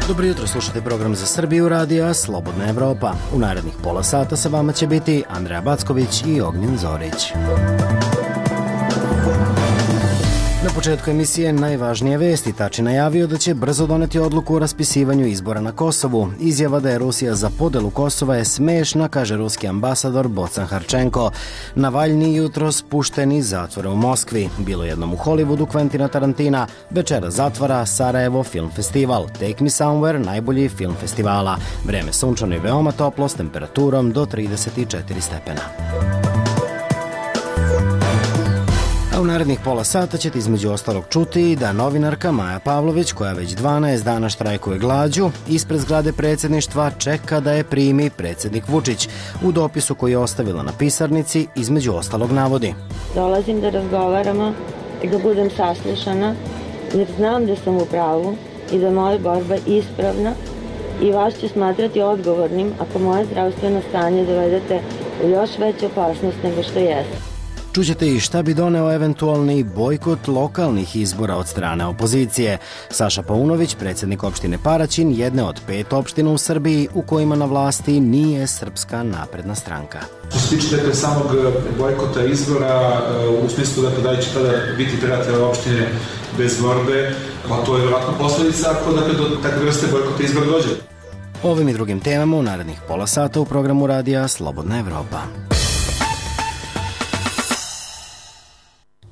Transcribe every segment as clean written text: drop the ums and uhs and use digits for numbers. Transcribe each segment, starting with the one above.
Dobro jutro, slušate program za Srbiju radija Slobodna Evropa. U narednih pola sata sa vama će biti Andreja Backović i Ognjen Zorić. Na početku emisije najvažnije vesti. Tači najavio da će brzo doneti odluku o raspisivanju izbora na Kosovu. Izjava da je Rusija za podelu Kosova je smešna, kaže ruski ambasador Bocan Harčenko. Navalni jutro spušten iz zatvora u Moskvi. Bilo jednom u Hollywoodu Quentina Tarantina. Večera zatvara Sarajevo Film Festival. Take Me Somewhere, najbolji film festivala. Vreme sunčano i veoma toplo s temperaturom do 34 stepena. U narednih pola sata ćete između ostalog čuti da novinarka Maja Pavlović, koja već 12 dana štrajkuje glađu, ispred zgrade predsjedništva čeka da je primi predsjednik Vučić. U dopisu koji je ostavila na pisarnici, između ostalog navodi: dolazim da razgovaramo i da budem saslušana, jer znam da sam u pravu i da moja borba ispravna i vas ću smatrati odgovornim ako moje zdravstveno stanje dovedete u još veću opasnost nego što jeste. Čućete i šta bi doneo eventualni bojkot lokalnih izbora od strane opozicije. Saša Paunović, predsjednik opštine Paraćin, jedne od 5 opština u Srbiji u kojima na vlasti nije Srpska napredna stranka. Što se tiče samog bojkota izbora, u smislu da li će tada biti pirate opštine bez borbe, pa to je vjerojatno posljedica ako do takve vrste bojkota izbora dođe. Ovim i drugim temama u narednih pola sata u programu radija Slobodna Evropa.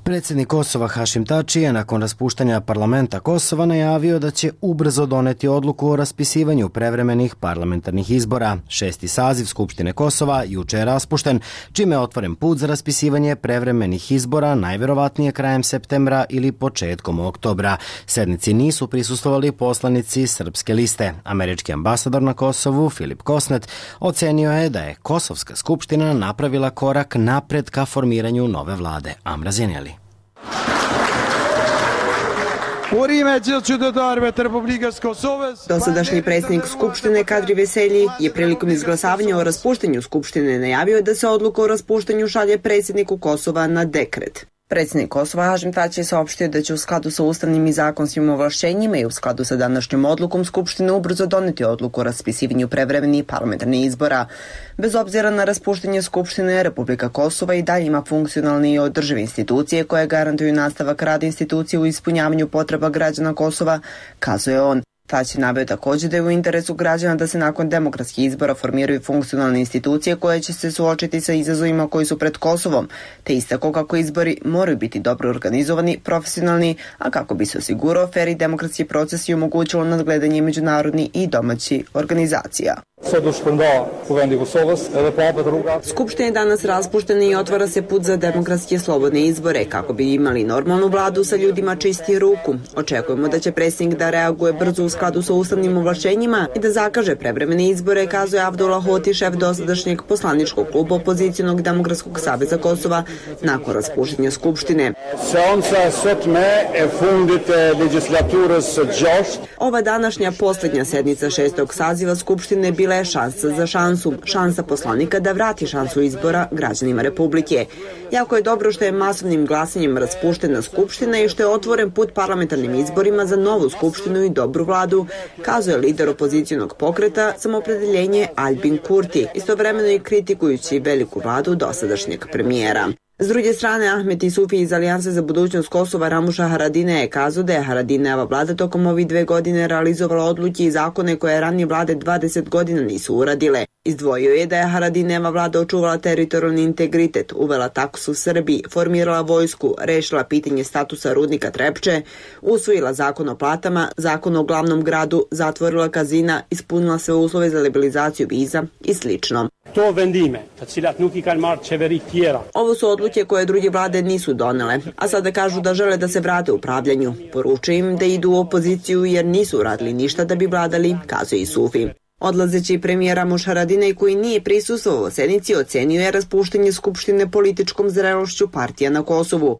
Predsjednik Kosova Hašim Tači je nakon raspuštanja parlamenta Kosova najavio da će ubrzo doneti odluku o raspisivanju prevremenih parlamentarnih izbora. 6. saziv Skupštine Kosova juče je raspušten, čime je otvoren put za raspisivanje prevremenih izbora najverovatnije krajem septembra ili početkom oktobra. Sednici nisu prisustvovali poslanici Srpske liste. Američki ambasador na Kosovu Filip Kosnet ocenio je da je Kosovska skupština napravila korak napred ka formiranju nove vlade. Amra Zenjeli. Dosadašnji predsjednik Skupštine Kadri Veselji je prilikom izglasavanja o raspuštanju Skupštine najavio da se odluka o raspuštanju šalje predsjedniku Kosova na dekret. Predsjednik Kosova Hašim Tači je saopštio da će u skladu sa ustavnim i zakonskim ovlašćenjima i u skladu sa današnjom odlukom Skupštine ubrzo doneti odluku o raspisivanju prevremenih parlamentarnih izbora. Bez obzira na raspuštanje Skupštine, Republika Kosova i dalje ima funkcionalne i održive institucije koje garantuju nastavak rada institucije u ispunjavanju potreba građana Kosova, kazuje on. Tači naveo također da je u interesu građana da se nakon demokratskih izbora formiraju funkcionalne institucije koje će se suočiti sa izazovima koji su pred Kosovom, te istakao kako izbori moraju biti dobro organizovani, profesionalni, a kako bi se osigurao fer i demokratski proces i omogućilo nadgledanje međunarodnih i domaćih organizacija. Skupština je danas raspuštena i otvara se put za demokratske i slobodne izbore kako bi imali normalnu vladu sa ljudima čistih ruku. Očekujemo da će predsjednik da reaguje brzo u skladu sa ustavnim ovlašćenjima i da zakaže prevremene izbore, kazuje Abdullah Hoti, šef dosadašnjeg poslaničkog kluba opozicionog Demokratskog saveza Kosova nakon raspuštanja Skupštine. Ova današnja posljednja sednica 6. saziva Skupštine bila je šansa za šansu, šansa poslanika da vrati šansu izbora građanima Republike. Jako je dobro što je masovnim glasanjem raspuštena Skupština i što je otvoren put parlamentarnim izborima za novu Skupštinu i dobru vladu, kazuje lider opozicionog pokreta Samoopredjeljenje Albin Kurti, istovremeno i kritikujući veliku vladu dosadašnjeg premijera. S druge strane, Ahmet Isufi iz Alijanse za budućnost Kosova Ramuša Haradine je kazao da je Haradineva vlada tokom ovih 2 godine realizovala odluke i zakone koje ranije vlade 20 godina nisu uradile. Izdvojio je da je Haradineva vlada očuvala teritorijalni integritet, uvela taksu u Srbiji, formirala vojsku, rešila pitanje statusa rudnika Trepče, usvojila zakon o platama, zakon o glavnom gradu, zatvorila kazina, ispunila sve uslove za liberalizaciju viza i slično. Ovo su odluke koje druge vlade nisu donele, a sada kažu da žele da se vrate upravljanju. Poručuju im da idu u opoziciju jer nisu uradili ništa da bi vladali, kazuje Isufi. Odlazeći premijer Ramuš Haradinaj, koji nije prisustvovao sednici, ocenio je raspuštanje Skupštine političkom zrelošću partija na Kosovu.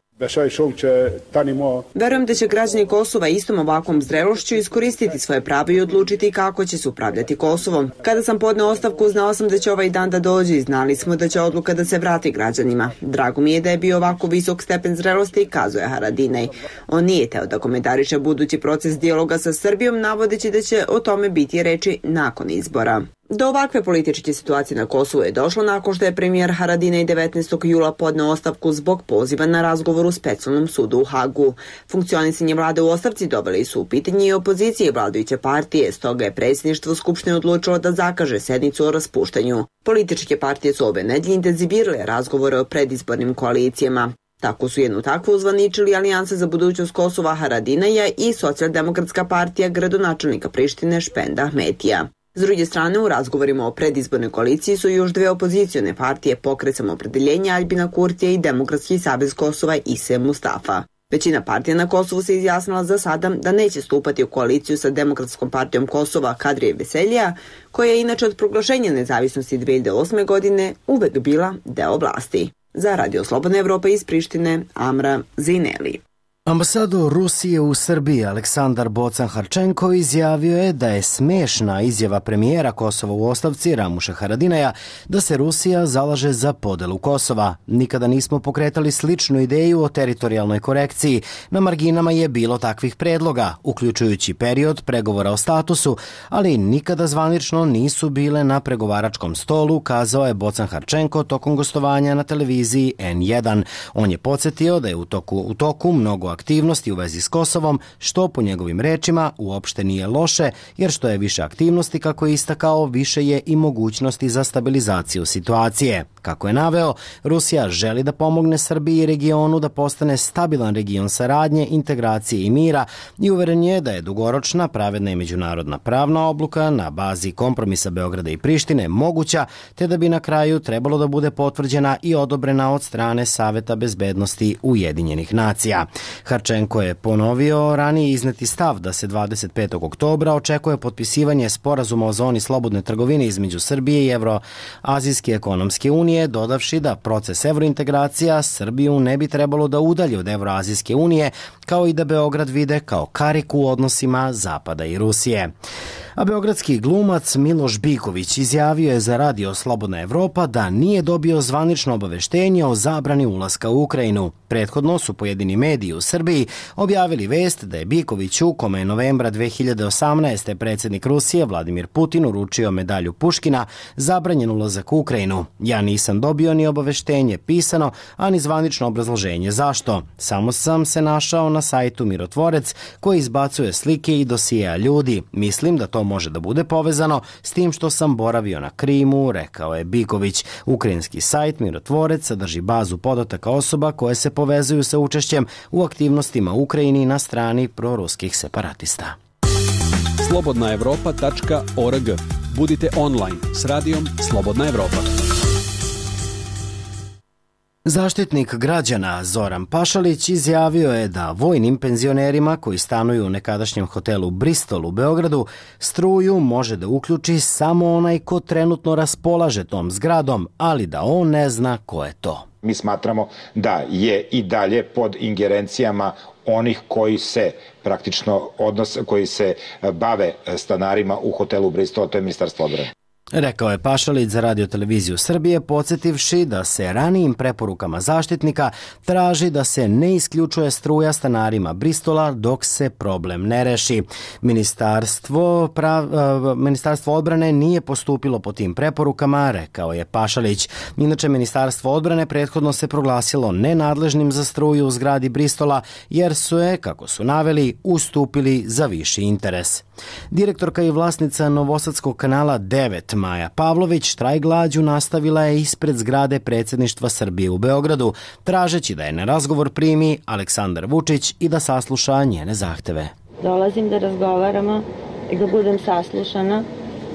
Verujem da će građani Kosova istom ovakvom zrelošću iskoristiti svoje pravo i odlučiti kako će se upravljati Kosovom. Kada sam podneo ostavku, znao sam da će ovaj dan da dođe i znali smo da će odluka da se vrati građanima. Drago mi je da je bio ovako visok stepen zrelosti, kazuje Haradinaj. On nije teo da komentariše budući proces dijaloga sa Srbijom, navodeći da će o tome biti reči nakon izbora. Do ovakve političke situacije na Kosovu je došlo nakon što je premijer Haradinaj 19. jula podneo ostavku zbog poziva na razgovor u Specijalnom sudu u Hagu. Funkcionisanje vlade u ostavci doveli su u pitanje i opozicije vladajuće partije, stoga je predsjedništvo Skupštine odlučilo da zakaže sednicu o raspuštanju. Političke partije su ove nedelje intenzivirale razgovore o predizbornim koalicijama. Tako su jednu takvu uzvaničili Alijansa za budućnost Kosova Haradinaja i Socijaldemokratska partija gradonačelnika Prištine Špenda Ahmetija. S druge strane, u razgovorima o predizbornoj koaliciji su još dve opozicione partije, Pokret Samoopredeljenja Aljbina Kurtija i Demokratski savez Kosova Ise Mustafa. Većina partija na Kosovu se izjasnila za sada da neće stupati u koaliciju sa Demokratskom partijom Kosova Kadrije Veseljija, koja je inače od proglašenja nezavisnosti 2008. godine uvek bila deo vlasti. Za Radio Slobodna Evropa iz Prištine, Amra Zineli. Ambasador Rusije u Srbiji Aleksandar Bocan-Harčenko izjavio je da je smešna izjava premijera Kosova u ostavci Ramuša Haradinaja da se Rusija zalaže za podelu Kosova. Nikada nismo pokretali sličnu ideju o teritorijalnoj korekciji. Na marginama je bilo takvih predloga, uključujući period pregovora o statusu, ali nikada zvanično nisu bile na pregovaračkom stolu, kazao je Bocan-Harčenko tokom gostovanja na televiziji N1. On je podsjetio da je u toku mnogo aktivnosti u vezi s Kosovom, što po njegovim rečima uopšte nije loše, jer što je više aktivnosti, kako je istakao, više je i mogućnosti za stabilizaciju situacije. Kako je naveo, Rusija želi da pomogne Srbiji i regionu da postane stabilan region saradnje, integracije i mira i uveren je da je dugoročna, pravedna i međunarodna pravna odluka na bazi kompromisa Beograda i Prištine moguća, te da bi na kraju trebalo da bude potvrđena i odobrena od strane Saveta bezbednosti Ujedinjenih nacija. Harčenko je ponovio ranije izneti stav da se 25. oktobra očekuje potpisivanje sporazuma o zoni slobodne trgovine između Srbije i Evroazijske ekonomske unije, dodavši da proces evrointegracija Srbiju ne bi trebalo da udalji od Evroazijske unije, kao i da Beograd vide kao kariku u odnosima Zapada i Rusije. A beogradski glumac Miloš Biković izjavio je za Radio Slobodna Evropa da nije dobio zvanično obaveštenje o zabrani ulaska u Ukrajinu. Prethodno su pojedini mediji u Srbiji objavili vest da je Bikoviću, kome je novembra 2018. predsjednik Rusije Vladimir Putin uručio medalju Puškina, zabranjen ulazak u Ukrajinu. Ja nisam dobio ni obaveštenje pisano, a ni zvanično obrazloženje zašto. Samo sam se našao na sajtu Mirotvorec koji izbacuje slike i dosijeja ljudi. Mislim da to može da bude povezano s tim što sam boravio na Krimu, rekao je Biković. Ukrajinski sajt Mirotvorec sadrži bazu podataka osoba koje se povezuju sa učešćem u aktivnostima u Ukrajini na strani proruskih separatista. slobodnaevropa.org. Budite online s radijom Slobodna Evropa. Zaštitnik građana Zoran Pašalić izjavio je da vojnim penzionerima koji stanuju u nekadašnjem hotelu Bristol u Beogradu struju može da uključi samo onaj ko trenutno raspolaže tom zgradom, ali da on ne zna ko je to. Mi smatramo da je i dalje pod ingerencijama onih koji se praktično koji se bave stanarima u hotelu Bristol, to je Ministarstvo odbrane. Rekao je Pašalić za Radio televiziju Srbije, podsjetivši da se ranijim preporukama zaštitnika traži da se ne isključuje struja stanarima Bristola dok se problem ne reši. Ministarstvo odbrane nije postupilo po tim preporukama, rekao je Pašalić. Inače, Ministarstvo odbrane prethodno se proglasilo nenadležnim za struju u zgradi Bristola, jer su je, kako su naveli, ustupili za viši interes. Direktorka i vlasnica Novosadskog kanala 9 Maja Pavlović štrajk glađu nastavila je ispred zgrade predsjedništva Srbije u Beogradu, tražeći da je na razgovor primi Aleksandar Vučić i da sasluša njene zahteve. Dolazim da razgovaramo i da budem saslušana,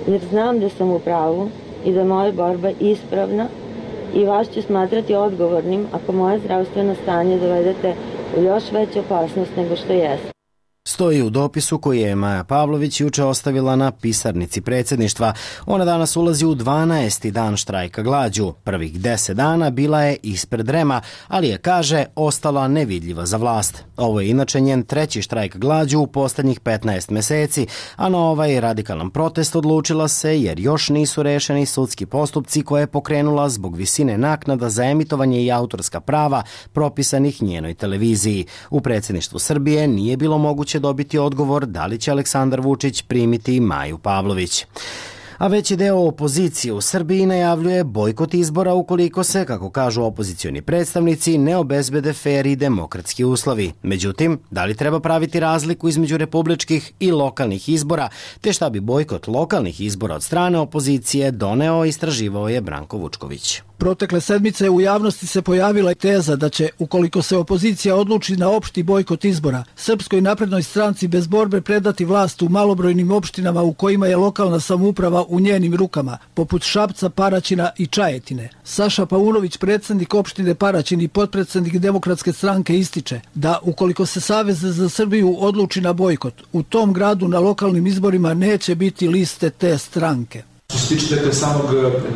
jer znam da sam u pravu i da je moja borba ispravna i vas ću smatrati odgovornim ako moje zdravstveno stanje dovedete u još veću opasnost nego što jeste. Stoji u dopisu koji je Maja Pavlović juče ostavila na pisarnici predsjedništva. Ona danas ulazi u 12. dan štrajka glađu. Prvih 10 dana bila je ispred REM-a, ali je, kaže, ostala nevidljiva za vlast. Ovo je inače njen treći štrajk glađu u posljednjih 15 meseci, a na ovaj radikalan protest odlučila se jer još nisu rešeni sudski postupci koje je pokrenula zbog visine naknada za emitovanje i autorska prava propisanih njenoj televiziji. U predsjedništvu Srbije nije bilo moguće dobiti odgovor da li će Aleksandar Vučić primiti Maju Pavlović. A veći deo opozicije u Srbiji najavljuje bojkot izbora ukoliko se, kako kažu opozicioni predstavnici, ne obezbede fer i demokratski uslovi. Međutim, da li treba praviti razliku između republičkih i lokalnih izbora, te šta bi bojkot lokalnih izbora od strane opozicije doneo, istraživao je Branko Vučković. Protekle sedmice u javnosti se pojavila teza da će, ukoliko se opozicija odluči na opšti bojkot izbora, Srpskoj naprednoj stranci bez borbe predati vlast u malobrojnim opštinama u kojima je lokalna samouprava u njenim rukama, poput Šapca, Paraćina i Čajetine. Saša Paunović, predsjednik opštine Paraćin i potpredsjednik Demokratske stranke, ističe da ukoliko se Savez za Srbiju odluči na bojkot, u tom gradu na lokalnim izborima neće biti liste te stranke. Što se tiče samog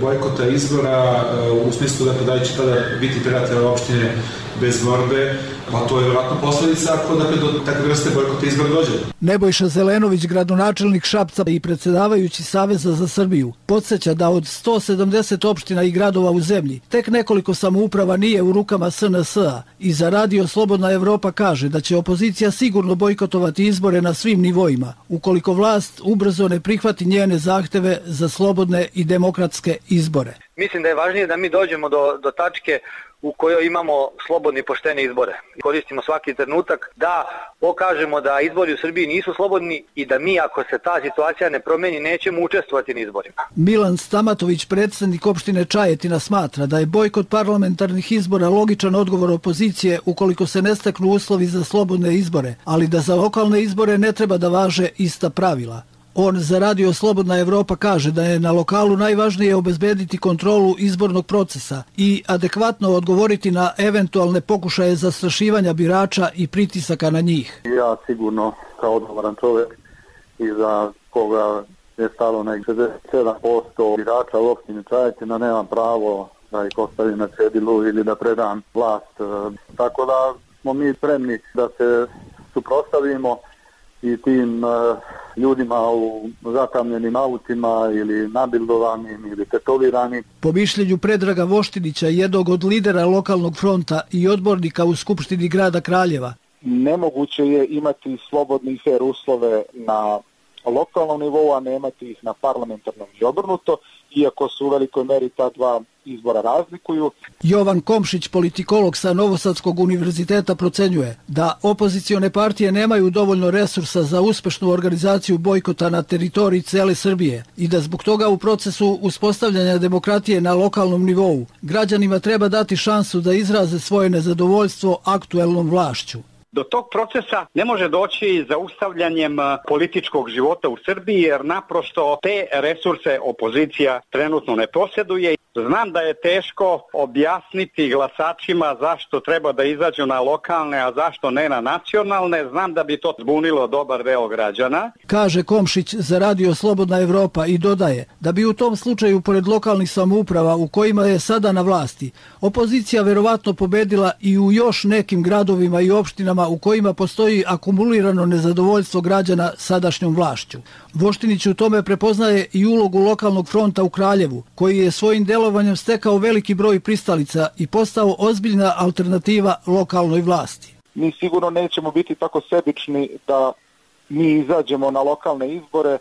bojkota izbora, u smislu da će tada biti pirate opštine bez borbe, pa to je vjerojatno posljedica ako do takve vrste bojkota izbora dođe. Nebojša Zelenović, gradonačelnik Šapca i predsjedavajući Saveza za Srbiju, podsjeća da od 170 opština i gradova u zemlji, tek nekoliko samouprava nije u rukama SNS-a i za Radio Slobodna Evropa kaže da će opozicija sigurno bojkotovati izbore na svim nivoima, ukoliko vlast ubrzo ne prihvati njene zahteve za slobodne i demokratske izbore. Mislim da je važnije da mi dođemo do tačke u kojoj imamo slobodni i poštene izbore. Koristimo svaki trenutak da pokažemo da izbori u Srbiji nisu slobodni i da mi, ako se ta situacija ne promeni, nećemo učestvovati na izborima. Milan Stamatović, predsjednik opštine Čajetina, smatra da je bojkot parlamentarnih izbora logičan odgovor opozicije ukoliko se ne steknu uslovi za slobodne izbore, ali da za lokalne izbore ne treba da važe ista pravila. On za Radio Slobodna Evropa kaže da je na lokalu najvažnije obezbediti kontrolu izbornog procesa i adekvatno odgovoriti na eventualne pokušaje zastrašivanja birača i pritisaka na njih. Ja sigurno kao odgovoran čovjek i za koga je stalo na 67% birača u opštini Čajetina nemam pravo da ih ostavim na cedilu ili da predam vlast. Tako da smo mi spremni da se suprotstavimo i tim ljudima u zatamljenim autima ili nabildovanim ili tetoviranim. Po mišljenju Predraga Voštinića, jednog od lidera lokalnog fronta i odbornika u Skupštini grada Kraljeva, nemoguće je imati slobodne i fer uslove na lokalnom nivou, a ne imati ih na parlamentarnom i obrnuto, iako su u velikoj meri ta dva izbora razlikuju. Jovan Komšić, politikolog sa Novosadskog univerziteta, procenjuje da opozicione partije nemaju dovoljno resursa za uspešnu organizaciju bojkota na teritoriji cele Srbije i da zbog toga u procesu uspostavljanja demokratije na lokalnom nivou građanima treba dati šansu da izraze svoje nezadovoljstvo aktuelnom vlašću. Do tog procesa ne može doći zaustavljanjem političkog života u Srbiji jer naprosto te resurse opozicija trenutno ne posjeduje. Znam da je teško objasniti glasačima zašto treba da izađu na lokalne, a zašto ne na nacionalne. Znam da bi to zbunilo dobar deo građana. Kaže Komšić za Radio Slobodna Evropa i dodaje da bi u tom slučaju, pored lokalnih samouprava u kojima je sada na vlasti, opozicija verovatno pobedila i u još nekim gradovima i opštinama u kojima postoji akumulirano nezadovoljstvo građana sadašnjom vlašću. Voštinić u tome prepoznaje i ulogu lokalnog fronta u Kraljevu, koji je svojim delovanjem stekao veliki broj pristalica i postao ozbiljna alternativa lokalnoj vlasti. Mi sigurno nećemo biti tako sebični da mi izađemo na lokalne izbore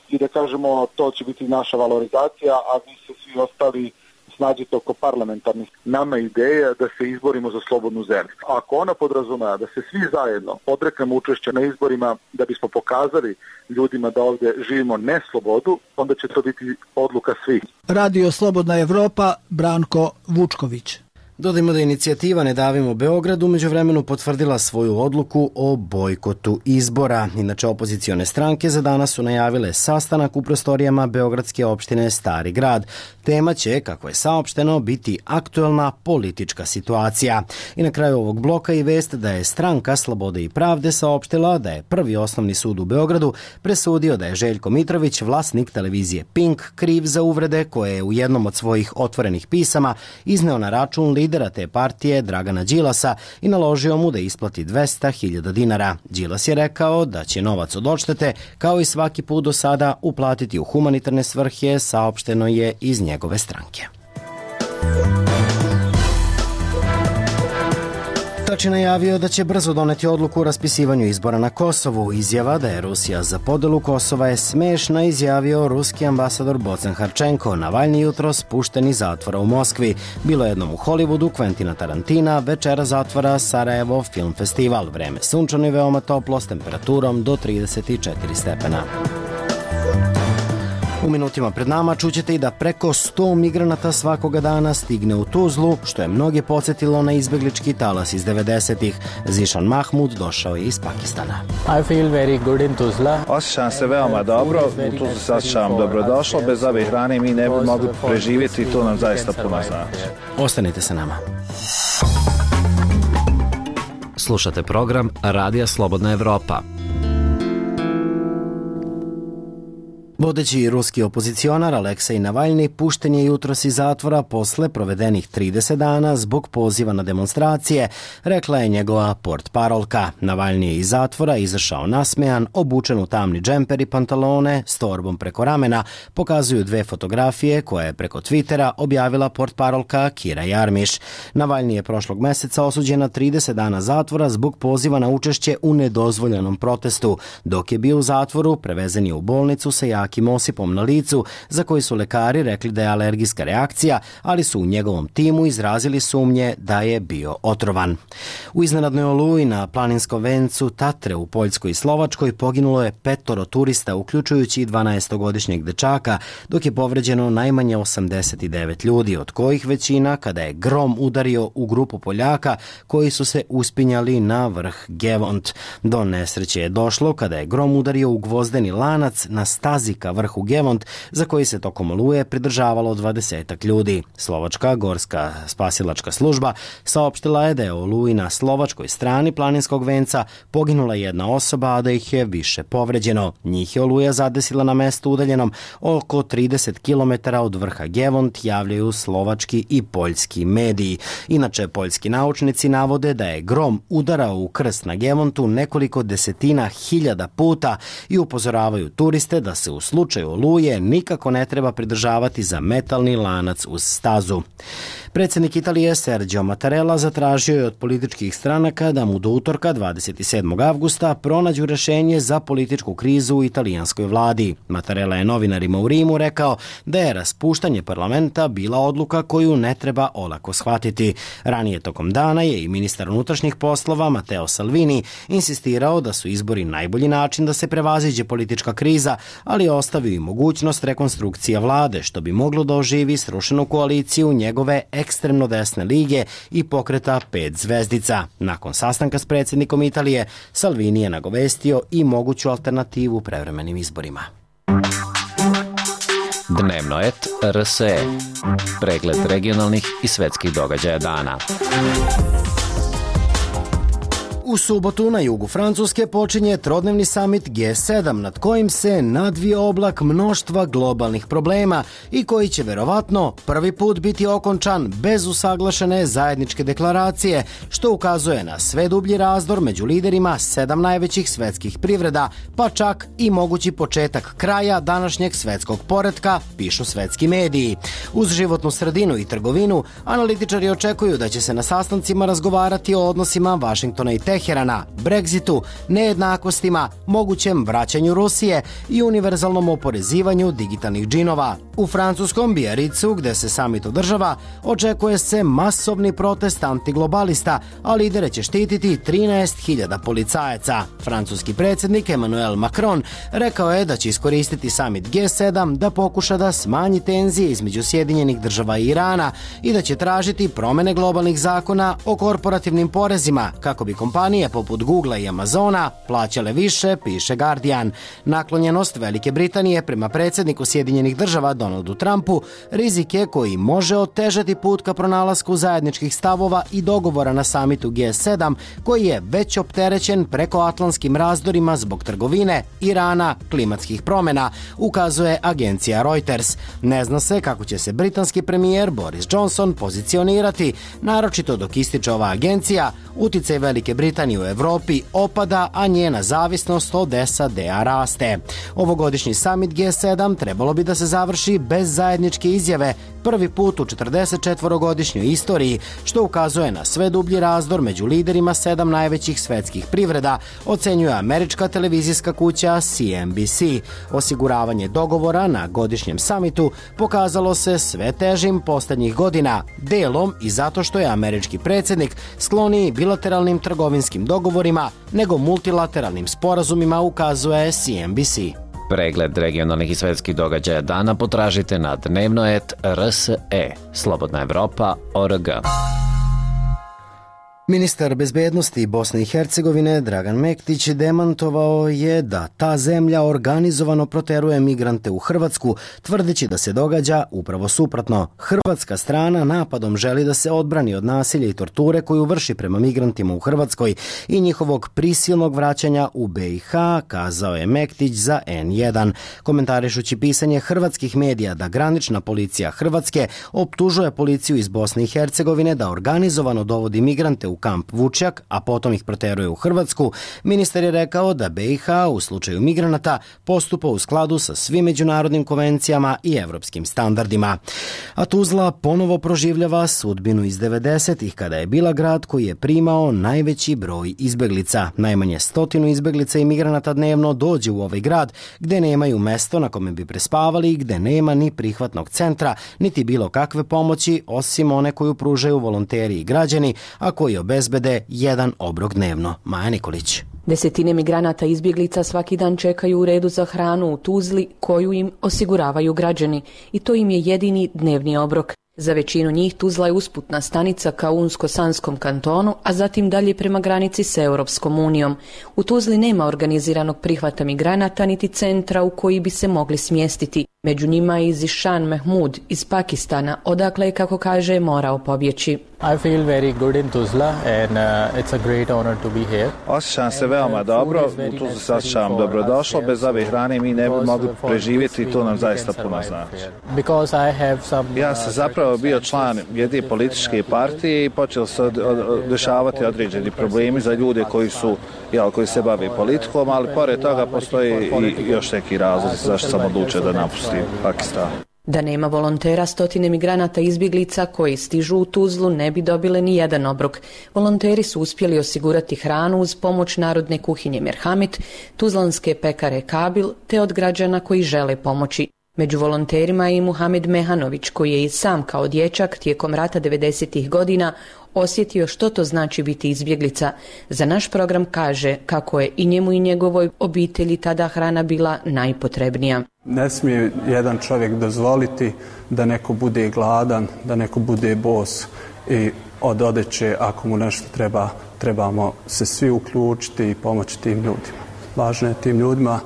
i da kažemo to će biti naša valorizacija, a vi se svi ostali snađite oko parlamentarnih. Nama je ideja da se izborimo za slobodnu zemlju. Ako ona podrazumeva da se svi zajedno odreknemo učešća na izborima da bismo pokazali ljudima da ovdje živimo ne slobodu, onda će to biti odluka svih. Radio Slobodna Evropa, Branko Vučković. Dodajmo da inicijativa Ne davimo Beograd umeđu vremenu potvrdila svoju odluku o bojkotu izbora. Inače, opozicione stranke za danas su najavile sastanak u prostorijama beogradske opštine Stari grad. Tema će, kako je saopšteno, biti aktuelna politička situacija. I na kraju ovog bloka i vest da je stranka Slobode i pravde saopštila da je Prvi osnovni sud u Beogradu presudio da je Željko Mitrović, vlasnik televizije Pink, kriv za uvrede koje je u jednom od svojih otvorenih pisama izneo na račun lidera te partije Dragana Đilasa i naložio mu da isplati 200.000 dinara. Đilas je rekao da će novac od odštete, kao i svaki put do sada, uplatiti u humanitarne svrhe, saopšteno je iz njegove stranke. Tači najavio da će brzo doneti odluku o raspisivanju izbora na Kosovu. Izjava da je Rusija za podelu Kosova je smešna, izjavio ruski ambasador Bocen Harčenko. Navalni jutros pušten iz zatvora u Moskvi. Bilo jednom u Hollywoodu Quentina Tarantina, večera zatvora Sarajevo Film Festival. Vreme sunčano i veoma toplo s temperaturom do 34 stepena. U minutima pred nama čućete i da preko 100 migranata svakoga dana stigne u Tuzlu, što je mnoge podsjetilo na izbeglički talas iz 90-ih. Zišan Mahmud došao je iz Pakistana. I feel very good in Tuzla. Osjećam se veoma dobro, u Tuzlu se osjećam dobrodošlo, bez ove hrane mi ne bi mogli preživjeti i to nam zaista puno znači. Ostanite sa nama. Slušate program Radija Slobodna Evropa. Vodeći ruski opozicionar Aleksej Navalni pušten je jutros iz zatvora posle provedenih 30 dana zbog poziva na demonstracije, rekla je njegova portparolka. Navalni je iz zatvora izašao nasmejan, obučen u tamni džemper i pantalone s torbom preko ramena, pokazuju dve fotografije koje je preko Twittera objavila portparolka Kira Jarmiš. Navalni je prošlog meseca osuđen na 30 dana zatvora zbog poziva na učešće u nedozvoljenom protestu. Dok je bio u zatvoru, prevezen je u bolnicu sa jakim osipom na licu, za koji su lekari rekli da je alergijska reakcija, ali su u njegovom timu izrazili sumnje da je bio otrovan. U iznenadnoj oluji na planinskom vencu Tatre u Poljskoj i Slovačkoj poginulo je 5 turista, uključujući i 12-godišnjeg dečaka, dok je povređeno najmanje 89 ljudi, od kojih većina kada je grom udario u grupu Poljaka koji su se uspinjali na vrh Gevont. Do nesreće je došlo kada je grom udario u gvozdeni lanac na stazi ka vrhu Gevont, za koji se tokom oluje pridržavalo 20 ljudi. Slovačka gorska spasilačka služba saopštila je da je u oluji na slovačkoj strani planinskog venca poginula jedna osoba, a da ih je više povređeno. Njih je oluja zadesila na mestu udaljenom oko 30 km od vrha Gevont, javljaju slovački i poljski mediji. Inače, poljski naučnici navode da je grom udarao u krst na Gevontu nekoliko desetina hiljada puta i upozoravaju turiste da se u slučaju oluje nikako ne treba pridržavati za metalni lanac uz stazu. Predsjednik Italije Sergio Mattarella zatražio je od političkih stranaka da mu do utorka 27. avgusta pronađu rješenje za političku krizu u italijanskoj vladi. Mattarella je novinarima u Rimu rekao da je raspuštanje parlamenta bila odluka koju ne treba olako shvatiti. Ranije tokom dana je i ministar unutrašnjih poslova Matteo Salvini insistirao da su izbori najbolji način da se prevaziđe politička kriza, ali je ostavio i mogućnost rekonstrukcija vlade, što bi moglo da oživi srušenu koaliciju njegove ekstremno desne lige i pokreta 5 zvezdica. Nakon sastanka s predsjednikom Italije, Salvini je nagovestio i moguću alternativu prevremenim izborima. Dnevno et RSE. Pregled regionalnih i svetskih događaja dana. U subotu na jugu Francuske počinje trodnevni samit G7, nad kojim se nadvio oblak mnoštva globalnih problema i koji će verovatno prvi put biti okončan bez usaglašene zajedničke deklaracije, što ukazuje na sve dublji razdor među liderima 7 najvećih svetskih privreda, pa čak i mogući početak kraja današnjeg svetskog poretka, pišu svetski mediji. Uz životnu sredinu i trgovinu, analitičari očekuju da će se na sastancima razgovarati o odnosima Vašingtona i Teherana, Brexitu, nejednakostima, mogućem vraćanju Rusije i univerzalnom oporezivanju digitalnih džinova. U francuskom Biarritzu, gde se samit održava, očekuje se masovni protest antiglobalista, a lidere će štititi 13.000 policajaca. Francuski predsjednik Emmanuel Macron rekao je da će iskoristiti samit G7 da pokuša da smanji tenzije između Sjedinjenih država i Irana i da će tražiti promene globalnih zakona o korporativnim porezima kako bi kompanije poput Googlea i Amazona plaćale više, piše Guardian. Naklonjenost Velike Britanije prema predsjedniku Sjedinjenih država Donaldu Trumpu rizik je koji može otežati put ka pronalasku zajedničkih stavova i dogovora na samitu G7 koji je već opterećen prekoatlantskim razdorima zbog trgovine, Irana, klimatskih promjena, ukazuje agencija Reuters. Ne zna se kako će se britanski premijer Boris Johnson pozicionirati, naročito dok ističe ova agencija, uticaj Velike Britanije u Evropi opada, a njena zavisnost od SAD-a raste. Ovogodišnji summit G7 trebalo bi da se završi bez zajedničke izjave, prvi put u 44-godišnjoj istoriji, što ukazuje na sve dublji razdor među liderima 7 najvećih svetskih privreda, ocenjuje američka televizijska kuća CNBC. Osiguravanje dogovora na godišnjem samitu pokazalo se sve težim posljednjih godina, delom i zato što je američki predsjednik skloniji bilateralnim trgovinskim dogovorima nego multilateralnim sporazumima, ukazuje CNBC. Pregled regionalnih i svetskih događaja dana potražite na dnevnoet.rse, slobodnaevropa.org. Ministar bezbednosti Bosne i Hercegovine Dragan Mektić demantovao je da ta zemlja organizovano proteruje migrante u Hrvatsku, tvrdeći da se događa upravo suprotno. Hrvatska strana napadom želi da se odbrani od nasilja i torture koju vrši prema migrantima u Hrvatskoj i njihovog prisilnog vraćanja u BiH, kazao je Mektić za N1. Komentarišući pisanje hrvatskih medija da granična policija Hrvatske optužuje policiju iz Bosne i Hercegovine da organizovano dovodi migrante u kamp Vučjak, a potom ih proteruje u Hrvatsku, ministar je rekao da BiH u slučaju migranata postupa u skladu sa svim međunarodnim konvencijama i evropskim standardima. A Tuzla ponovo proživljava sudbinu iz 90-ih, kada je bila grad koji je primao najveći broj izbeglica. Najmanje 100 izbeglica i migranata dnevno dođe u ovaj grad, gde nemaju mesto na kome bi prespavali i gde nema ni prihvatnog centra, niti bilo kakve pomoći, osim one koju pružaju volonteri i građani, a koji obezbede jedan obrok dnevno. Maja Nikolić. Desetine migranata i izbjeglica svaki dan čekaju u redu za hranu u Tuzli koju im osiguravaju građani i to im je jedini dnevni obrok. Za većinu njih Tuzla je usputna stanica ka Unsko-Sanskom kantonu, a zatim dalje prema granici s Europskom unijom. U Tuzli nema organiziranog prihvata migranata niti centra u koji bi se mogli smjestiti. Među njima je i Zishan Mahmud iz Pakistana, odakle je, kako kaže, morao pobjeći. I feel very good in Tuzla and it's a great honor to be here. Osjećam se veoma dobro, u Tuzli se osjećam dobrodošlo, bez ove hrane mi ne bi mogli preživjeti i to nam zaista puno znači. Ja sam zapravo bio član jedne političke partije i počeli se dešavati određeni problemi za ljude koji se bave politikom, ali pored toga postoji i još neki razlog zašto sam odlučio da napustim Pakistan. Da nema volontera, stotine migranata i izbjeglica koji stižu u Tuzlu ne bi dobile ni jedan obrok. Volonteri su uspjeli osigurati hranu uz pomoć Narodne kuhinje Merhamet, tuzlanske pekare Kabil te od građana koji žele pomoći. Među volonterima je i Muhamed Mehanović, koji je i sam kao dječak tijekom rata 90-ih godina osjetio što to znači biti izbjeglica. Za naš program kaže kako je i njemu i njegovoj obitelji tada hrana bila najpotrebnija. Ne smije jedan čovjek dozvoliti da neko bude gladan, da neko bude bos i od odeće, ako mu nešto treba, trebamo se svi uključiti i pomoći tim ljudima. Važno je tim ljudima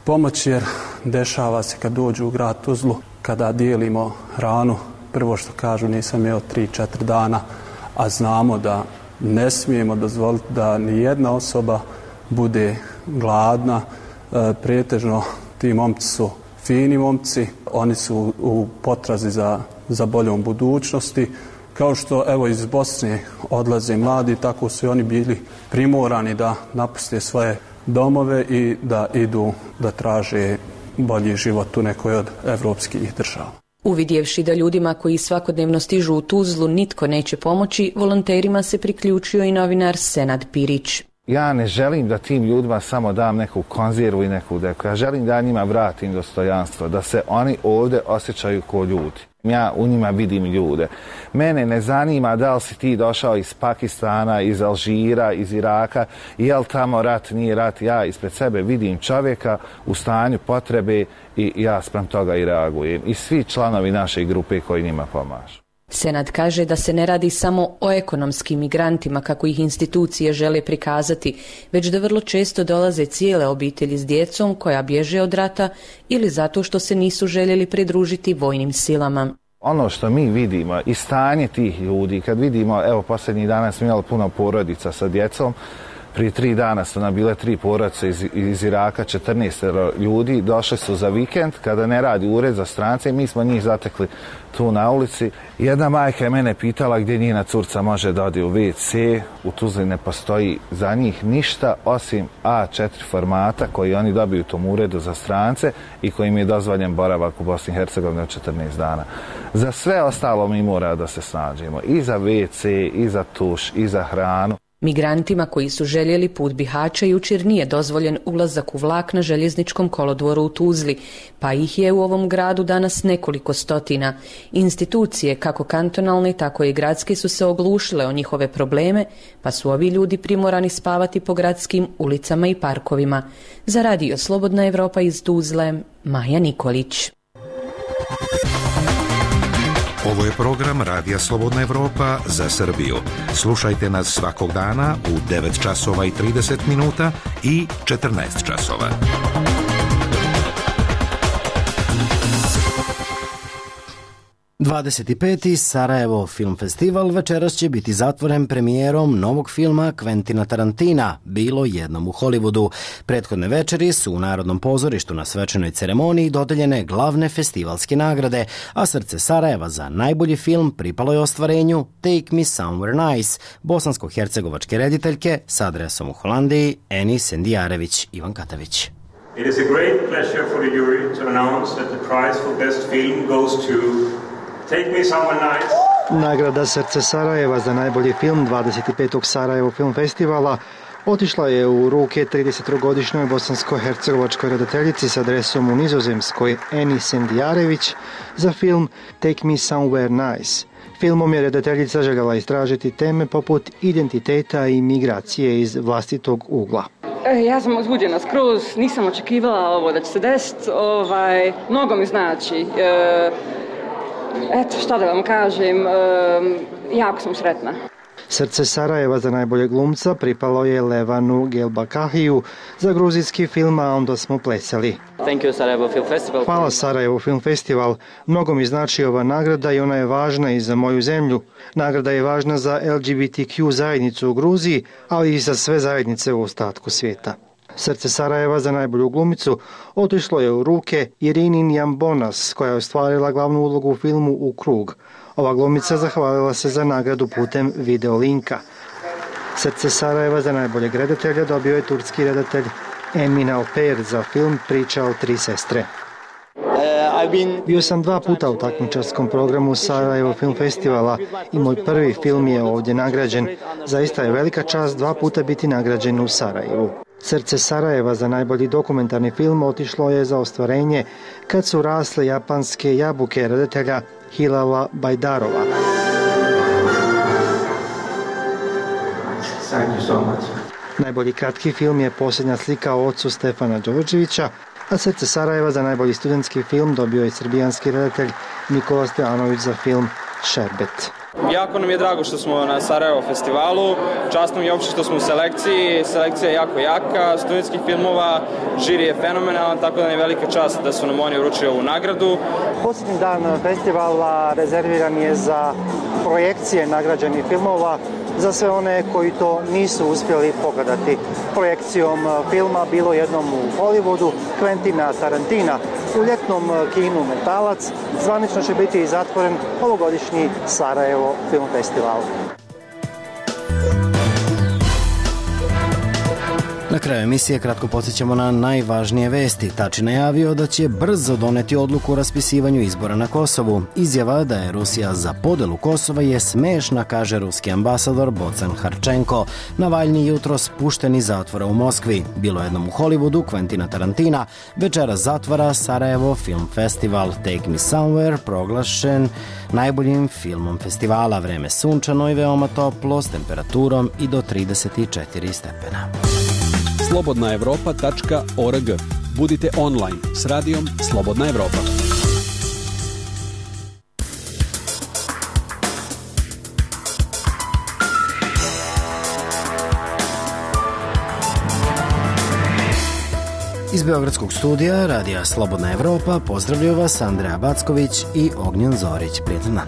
pomoći jer dešava se kad dođu u grad Tuzlu, kada dijelimo hranu, prvo što kažu nisam jeo 3-4 dana, a znamo da ne smijemo dozvoliti da ni jedna osoba bude gladna. Pretežno ti momci su fini momci, oni su u potrazi za boljom budućnosti. Kao što evo iz Bosne odlaze mladi, tako su i oni bili primorani da napuste svoje domove i da idu da traže bolji život u nekoj od evropskih država. Uvidjevši da ljudima koji svakodnevno stižu u Tuzlu nitko neće pomoći, volonterima se priključio i novinar Senad Pirić. Ja ne želim da tim ljudima samo dam neku konzervu i neku deku. Ja želim da njima vratim dostojanstvo, da se oni ovdje osjećaju kao ljudi. Ja u njima vidim ljude. Mene ne zanima da li si ti došao iz Pakistana, iz Alžira, iz Iraka, je li tamo rat, nije rat. Ja ispred sebe vidim čovjeka u stanju potrebe i ja spram toga i reagujem. I svi članovi naše grupe koji njima pomažu. Senad kaže da se ne radi samo o ekonomskim migrantima kako ih institucije žele prikazati, već da vrlo često dolaze cijele obitelji s djecom koja bježe od rata ili zato što se nisu željeli pridružiti vojnim silama. Ono što mi vidimo i stanje tih ljudi, kad vidimo, evo posljednjih dana smo imali puno porodica sa djecom, prije 3 dana su nam bile 3 porodice iz Iraka, 14 ljudi, došli su za vikend, kada ne radi ured za strance, mi smo njih zatekli tu na ulici. Jedna majka je mene pitala gdje njena curca može da ode u WC, u Tuzli ne postoji za njih ništa osim A4 formata koji oni dobiju u tom uredu za strance i kojim je dozvoljen boravak u Bosni i Hercegovini od 14 dana. Za sve ostalo mi mora da se snađemo, i za WC, i za tuš, i za hranu. Migrantima koji su željeli put Bihaća jučer nije dozvoljen ulazak u vlak na željezničkom kolodvoru u Tuzli, pa ih je u ovom gradu danas nekoliko stotina. Institucije, kako kantonalne, tako i gradske, su se oglušile o njihove probleme, pa su ovi ljudi primorani spavati po gradskim ulicama i parkovima. Za Radio Slobodna Evropa iz Tuzle, Maja Nikolić. Ovo je program Radija Slobodna Evropa za Srbiju. Slušajte nas svakog dana u 9 časova i 30 minuta i 14 časova. ...25. Sarajevo Film Festival večeras će biti zatvoren premijerom novog filma Quentina Tarantina, Bilo jednom u Hollywoodu. Prethodne večeri su u Narodnom pozorištu na svečanoj ceremoniji dodeljene glavne festivalske nagrade, a srce Sarajeva za najbolji film pripalo je ostvarenju Take Me Somewhere Nice, bosansko-hercegovačke rediteljke s adresom u Holandiji Eni Sendijarević. Ivan Katavić. It is a great pleasure for the jury to announce that the prize for best film goes to Take Me Somewhere Nice. Nagrada Srce Sarajeva za najbolji film 25. Sarajevo Film Festivala otišla je u ruke 33-godišnjoj bosansko-hercegovačkoj redateljici s adresom u Nizozemskoj Eni Sendijarević za film Take Me Somewhere Nice. Filmom je redateljica željela istražiti teme poput identiteta i migracije iz vlastitog ugla. Ja sam uzbuđena skroz, nisam očekivala ovo da će se desiti, mnogo mi znači. Eto, šta da vam kažem, jako sam sretna. Srce Sarajeva za najboljeg glumca pripalo je Levanu Gelbakahiju za gruzijski film A onda smo plesali. Hvala Sarajevo Film Festival. Mnogo mi znači ova nagrada i ona je važna i za moju zemlju. Nagrada je važna za LGBTQ zajednicu u Gruziji, ali i za sve zajednice u ostatku svijeta. Srce Sarajeva za najbolju glumicu otišlo je u ruke Irini Njambonas, koja je ostvarila glavnu ulogu u filmu U krug. Ova glumica zahvalila se za nagradu putem videolinka. Srce Sarajeva za najboljeg redatelja dobio je turski redatelj Emin Alper za film Priča o 3 sestre. Bio sam 2 puta u takmičarskom programu Sarajevo Film Festivala i moj prvi film je ovdje nagrađen. Zaista je velika čast 2 puta biti nagrađen u Sarajevu. Srce Sarajeva za najbolji dokumentarni film otišlo je za ostvarenje Kad su rasle japanske jabuke redatelja Hilala Bajdarova. Najbolji kratki film je Posljednja slika o ocu Stefana Đorđevića, a Srce Sarajeva za najbolji studentski film dobio je srbijanski redatelj Nikola Stojanović za film Šerbet. Jako nam je drago što smo na Sarajevo festivalu, čast nam je uopšte što smo u selekciji, selekcija je jako jaka, studentskih filmova, žiri je fenomenalan, tako da nam je velika čast da su nam oni uručili ovu nagradu. Posljednji dan festivala rezerviran je za projekcije nagrađenih filmova, za sve one koji to nisu uspjeli pogledati. Projekcijom filma Bilo jednom u Hollywoodu, Quentina Tarantina, u ljetnom kinu Metalac, zvanično će biti i zatvoren ovogodišnji Sarajevo Film Festival. Na kraju emisije kratko podsjećamo na najvažnije vesti. Tači najavio da će brzo doneti odluku o raspisivanju izbora na Kosovu. Izjava da je Rusija za podelu Kosova je smešna, kaže ruski ambasador Bocan Harčenko. Navalnji jutros pušten iz zatvora u Moskvi. Bilo jednom u Hollywoodu Quentina Tarantina. Večera zatvara Sarajevo Film Festival. Take Me Somewhere proglašen najboljim filmom festivala. Vreme sunčano i veoma toplo s temperaturom i do 34 stepena. slobodnaevropa.org. Budite online s radijom Slobodna Evropa. Iz Beogradskog studija Radija Slobodna Evropa pozdravljaju vas Andreja Backović i Ognjen Zorić. Prijetan dan.